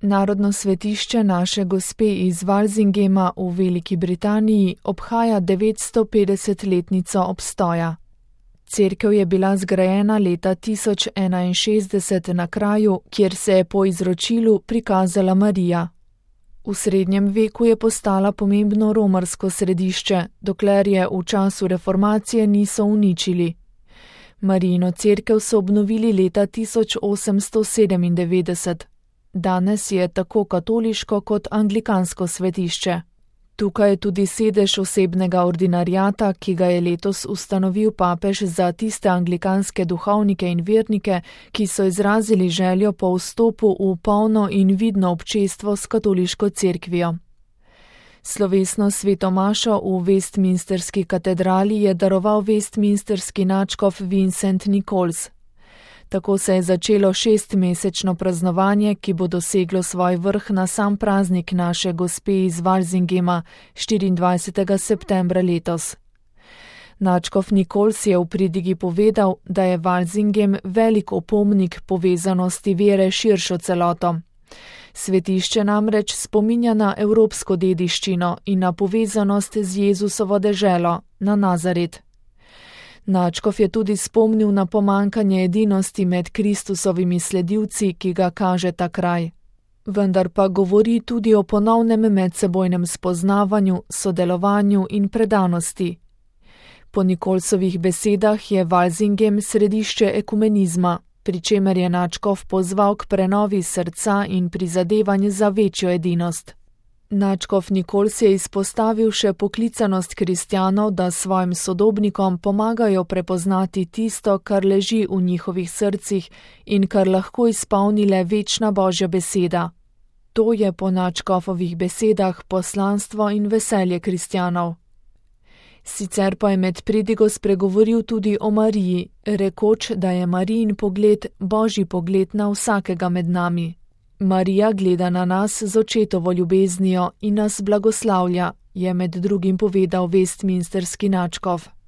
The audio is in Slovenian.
Narodno svetišče Naše Gospe iz Walsingema v Veliki Britaniji obhaja 950-letnico obstoja. Cerkev je bila zgrajena leta 1061 na kraju, kjer se je po izročilu prikazala Marija. V srednjem veku je postala pomembno romarsko središče, dokler je v času reformacije niso uničili. Marijino cerkev so obnovili leta 1897. Danes je tako katoliško kot anglikansko svetišče. Tukaj je tudi sedež osebnega ordinariata, ki ga je letos ustanovil papež za tiste anglikanske duhovnike in vernike, ki so izrazili željo po vstopu v polno in vidno občestvo s katoliško cerkvijo. Slovesno sveto mašo v Westminsterski katedrali je daroval westminsterski nadškof Vincent Nichols. Tako se je začelo 6-mesečno praznovanje, ki bo doseglo svoj vrh na sam praznik Naše Gospe iz Walsingema 24. septembra letos. Nadškof Nichols je v pridigi povedal, da je Walsingem velik opomnik povezanosti vere širšo celoto. Svetišče namreč spominja na evropsko dediščino in na povezanost z Jezusovo deželo, na Nazaret. Nadškof je tudi spomnil na pomankanje edinosti med Kristusovimi sledilci, ki ga kaže ta kraj. Vendar pa govori tudi o ponovnem medsebojnem spoznavanju, sodelovanju in predanosti. Po Nicholsovih besedah je Walsingem središče ekumenizma, pri čemer je nadškof pozval k prenovi srca in prizadevanj za večjo edinost. Nadškof Nichols je izpostavil še poklicanost kristjanov, da svojim sodobnikom pomagajo prepoznati tisto, kar leži v njihovih srcih in kar lahko izpolni le večna Božja beseda. To je po nadškofovih besedah poslanstvo in veselje kristjanov. Sicer pa je med pridigo spregovoril tudi o Mariji, rekoč, da je Marijin pogled Božji pogled na vsakega med nami. Marija gleda na nas z očetovo ljubeznijo in nas blagoslavlja, je med drugim povedal westminsterski nadškof.